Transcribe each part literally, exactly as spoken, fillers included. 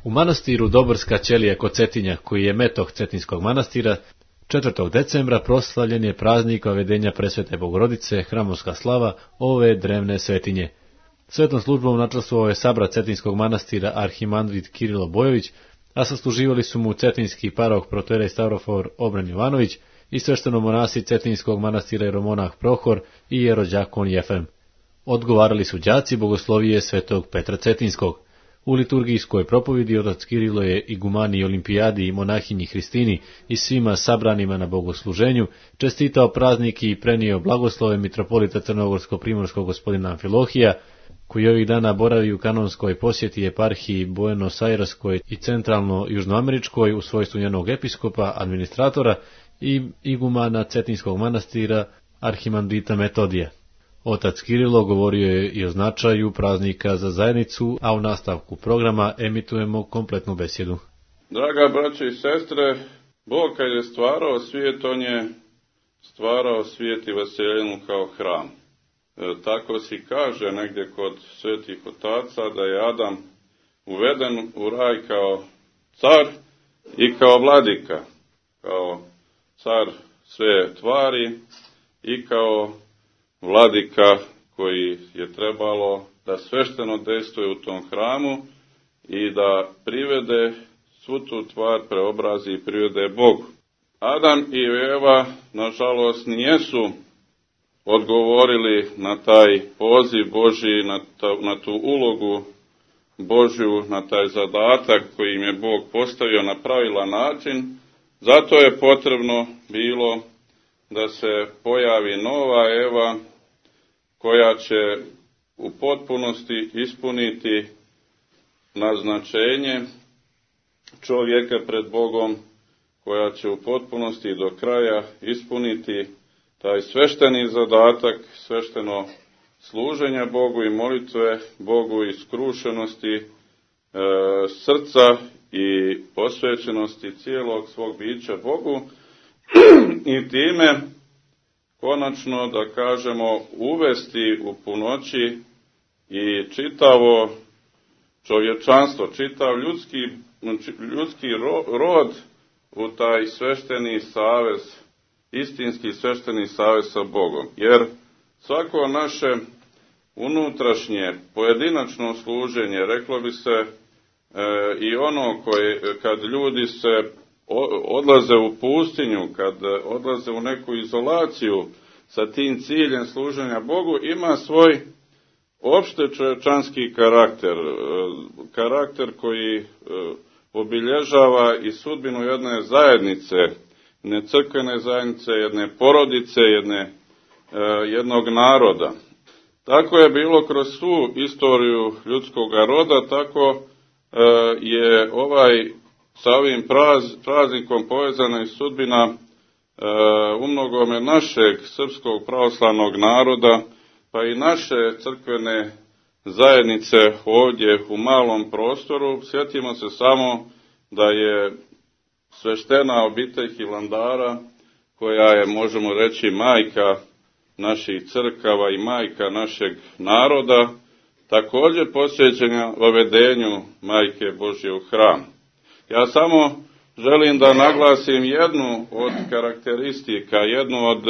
U manastiru Doborska ćelija kod Cetinja, koji je metoh Cetinskog manastira, četvrtog decembra proslavljen je praznik Vavedenja Presvete Bogorodice, hramovska slava ove drevne svetinje. Svetom službom načastvovao je sabra Cetinskog manastira arhimandrit Kirilo Bojović, a sasluživali su mu cetinski paroh protoijerej Stavrofor Obren Jovanović i sveštenomonasi Cetinskog manastira jeromonah Prohor i jerođakon Jefrem. Odgovarali su đaci bogoslovije svetog Petra Cetinskog. U liturgijskoj propovidi otac Kirilo je igumani Olimpijadi i monahinji Hristini i svima sabranima na bogosluženju čestitao praznik i prenio blagoslove mitropolita Crnogorsko-primorskog gospodina Amfilohija, koji ovih dana boravi u kanonskoj posjeti eparhiji Buenos Aireskoj i centralno-južnoameričkoj u svojstvu njenog episkopa, administratora i igumana Cetinskog manastira arhimandrita Metodija. Otac Kirilo govorio je i o značaju praznika za zajednicu, a u nastavku programa emitujemo kompletnu besjedu. Draga braće i sestre, Bog kad je stvarao svijet, on je stvarao svijet i vaseljenu kao hram. E, tako si kaže negdje kod svetih otaca da je Adam uveden u raj kao car i kao vladika, kao car sve tvari i kao vladika koji je trebalo da svešteno dejstvuje u tom hramu i da privede svu tu tvar, preobrazi i privede Bogu. Adam i Eva, nažalost, nijesu odgovorili na taj poziv Božji, na, ta, na tu ulogu Božju, na taj zadatak koji im je Bog postavio na pravilan način. Zato je potrebno bilo da se pojavi nova Eva, koja će u potpunosti ispuniti naznačenje čovjeka pred Bogom, koja će u potpunosti do kraja ispuniti taj svešteni zadatak, svešteno služenja Bogu i molitve Bogu i skrušenosti e, srca i posvećenosti cijelog svog bića Bogu i time konačno, da kažemo, uvesti u punoći i čitavo čovječanstvo, čitav ljudski, ljudski rod u taj svešteni savez, istinski svešteni savez sa Bogom. Jer svako naše unutrašnje, pojedinačno služenje, reklo bi se, e, i ono koje, kad ljudi se odlaze u pustinju, kad odlaze u neku izolaciju sa tim ciljem služenja Bogu, ima svoj opšte čovječanski karakter, karakter koji obilježava i sudbinu jedne zajednice, jedne crkvene zajednice, jedne porodice, jedne, jednog naroda. Tako je bilo kroz svu istoriju ljudskog roda, tako je ovaj sa ovim praz, praznikom povezana i sudbina e, umnogome našeg srpskog pravoslavnog naroda, pa i naše crkvene zajednice ovdje u malom prostoru. Sjetimo se samo da je sveštena obitelj Hilandara, koja je, možemo reći, majka naših crkava i majka našeg naroda, također posvećena vavedenju Majke Božje u hram. Ja samo želim da naglasim jednu od karakteristika, jednu od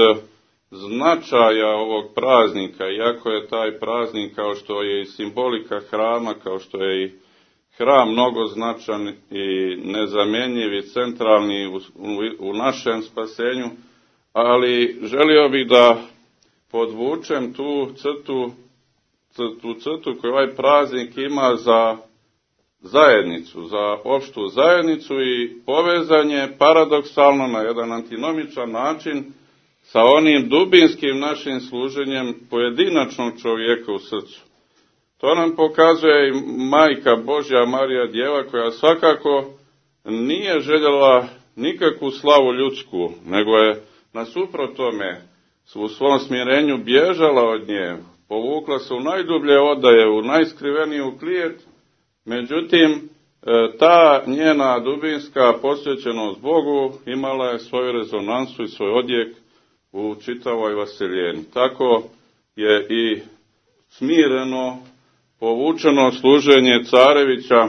značaja ovog praznika, iako je taj praznik, kao što je i simbolika hrama, kao što je i hram mnogo značan i nezamjenjiv i centralni u, u, u našem spasenju, ali želio bih da podvučem tu crtu, tu crtu koju ovaj praznik ima za zajednicu, za opštu zajednicu i povezanje paradoksalno na jedan antinomičan način sa onim dubinskim našim služenjem pojedinačnog čovjeka u srcu. To nam pokazuje i Majka Božja Marija Djeva, koja svakako nije željela nikakvu slavu ljudsku, nego je nasuprot tome u svom smirenju bježala od nje, povukla se u najdublje odaje, u najskriveniju klijet. Međutim, ta njena dubinska posvećenost Bogu imala je svoju rezonansu i svoj odjek u čitavoj vaseljeni. Tako je i smireno, povučeno služenje carevića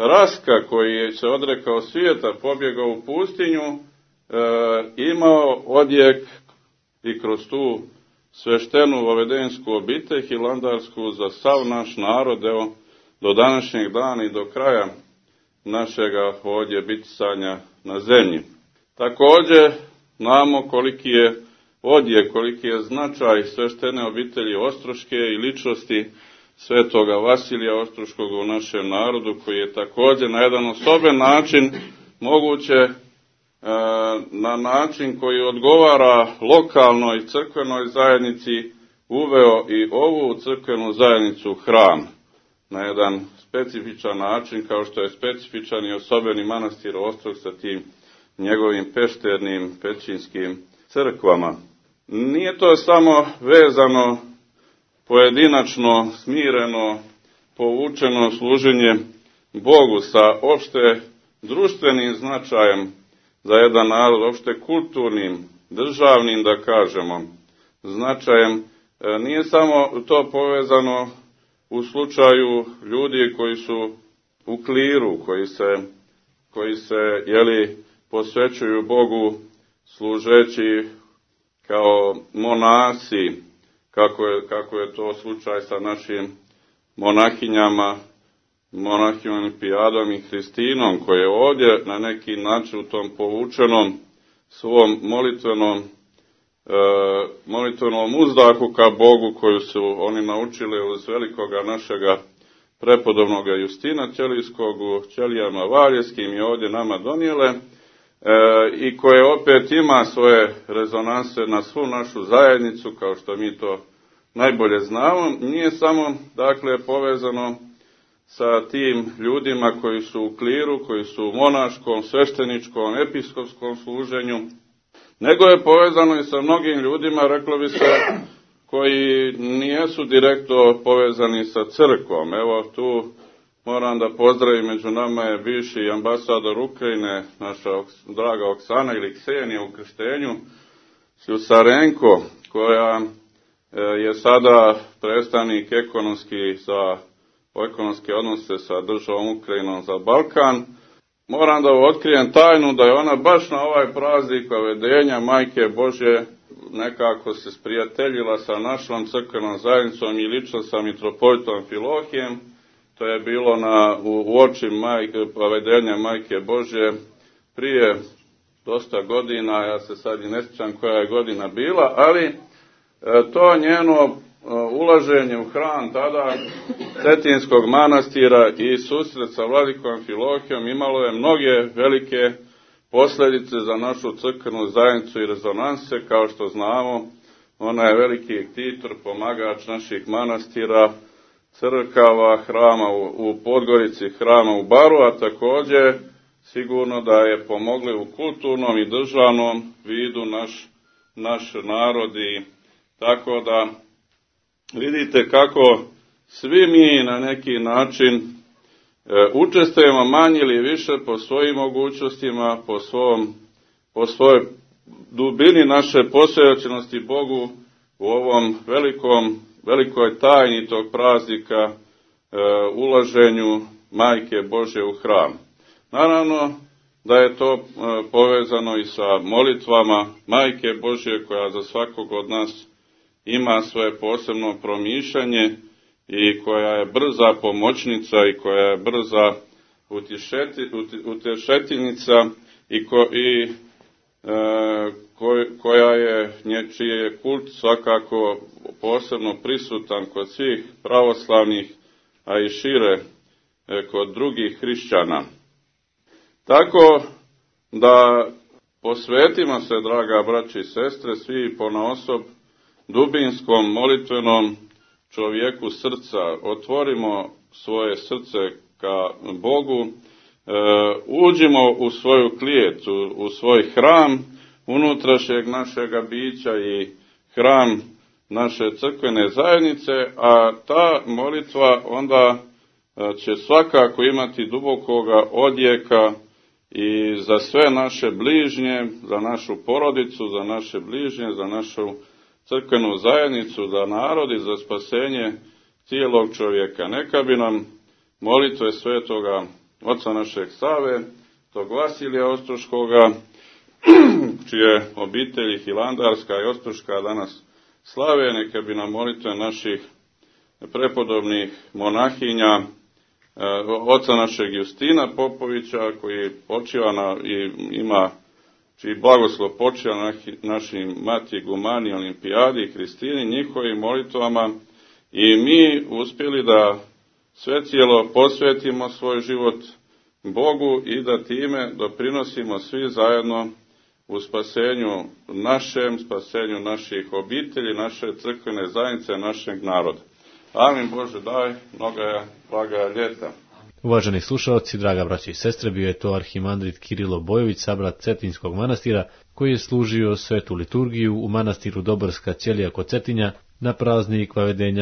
Raska, koji je se odrekao svijeta, pobjegao u pustinju, e, imao odjek i kroz tu sveštenu vavedensku obitelj hilandarsku za sav naš narod, evo, do današnjeg dana i do kraja našega ovdje bitisanja na zemlji. Također, znamo koliki je odjek, koliki je značaj sveštene obitelji Ostroške i ličnosti svetoga Vasilija Ostroškog u našem narodu, koji je također na jedan osoben način moguće e, na način koji odgovara lokalnoj crkvenoj zajednici uveo i ovu crkvenu zajednicu hram na jedan specifičan način, kao što je specifičan i osobeni manastir Ostrog sa tim njegovim pešternim pećinskim crkvama. Nije to samo vezano pojedinačno, smireno, povučeno služenje Bogu sa opšte društvenim značajem za jedan narod, opšte kulturnim, državnim, da kažemo, značajem. Nije samo to povezano u slučaju ljudi koji su u kliru, koji se, koji se jeli, posvećuju Bogu služeći kao monasi, kako je, kako je to slučaj sa našim monahinjama, monahijom Olimpiadom i Hristinom, koje je ovdje na neki način u tom povučenom svom molitvenom, e, molitvenom uzdahu ka Bogu, koju su oni naučili uz velikoga našega prepodobnoga Justina Ćelijskog u Ćelijama Valjevskim i ovdje nama donijele, e, i koje opet ima svoje rezonanse na svu našu zajednicu, kao što mi to najbolje znamo. Nije samo, dakle, povezano sa tim ljudima koji su u kliru, koji su u monaškom, svešteničkom, episkopskom služenju, nego je povezano i sa mnogim ljudima, reklo bi se, koji nijesu direktno povezani sa crkvom. Evo tu moram da pozdravim, među nama je bivši ambasador Ukrajine, naša draga Oksana ili Ksenija u krštenju, Sljusarenko, koja je sada predstavnik ekonomski za ekonomske odnose sa državom Ukrajinom za Balkan. Moram da otkrijem tajnu da je ona baš na ovaj praznik Vavedenja Majke Božje nekako se sprijateljila sa našom crkvenom zajednicom i lično sa mitropolitom Filohijem. To je bilo na, u, u oči majke, Vavedenja Majke Božje prije dosta godina, ja se sad i ne sjećam koja je godina bila, ali e, to njeno e, ulaženje u hram tada Cetinskog manastira i susret sa vladikom Filohijom imalo je mnoge velike posljedice za našu crkvenu zajednicu i rezonanse. Kao što znamo, ona je veliki ektitor, pomagač naših manastira, crkava, hrama u, u Podgorici, hrama u Baru, a također sigurno da je pomogli u kulturnom i državnom vidu naš, naš narod. I tako da vidite kako svi mi na neki način e, učestvujemo manje ili više po svojim mogućnostima, po, svom, po svojoj dubini naše posvećenosti Bogu u ovom velikom, velikoj tajni tog praznika, e, ulaženju Majke Božje u hram. Naravno da je to e, povezano i sa molitvama Majke Božje, koja za svakog od nas ima svoje posebno promišljanje i koja je brza pomoćnica i koja je brza utješeti, utješeljnica i, ko, i e, ko, koja je, čiji je kult svakako posebno prisutan kod svih pravoslavnih, a i šire e, kod drugih hrišćana. Tako da posvetimo se, draga braći i sestre, svi ponaosob dubinskom molitvenom čovjeku srca, otvorimo svoje srce ka Bogu, e, uđimo u svoju klijet, u, u svoj hram unutrašnjeg našega bića i hram naše crkvene zajednice, a ta molitva onda će svakako imati dubokoga odjeka i za sve naše bližnje, za našu porodicu, za naše bližnje, za našu crkvenu zajednicu, za narod i za spasenje cijelog čovjeka. Neka bi nam molitve svetoga oca našeg Save, tog Vasilija Ostroškoga, čije obitelji Hilandarska i Ostroška danas slave, neka bi nam molitve naših prepodobnih monahinja, oca našeg Justina Popovića, koji počiva na, i ima, čiji blagoslov počiva na našim Mati Gumani, Olimpijadi i Kristini, njihovim molitvama, i mi uspjeli da sve cijelo posvetimo svoj život Bogu i da time doprinosimo svi zajedno u spasenju našem, spasenju naših obitelji, naše crkvene zajednice, našeg naroda. Amin. Bože daj, mnoga je blaga ljeta. Uvaženi slušalci, draga braći i sestre, bio je to arhimandrit Kirilo Bojović, sabrat Cetinskog manastira, koji je služio svetu liturgiju u manastiru Doborska ćelija kod Cetinja na praznik vavedenja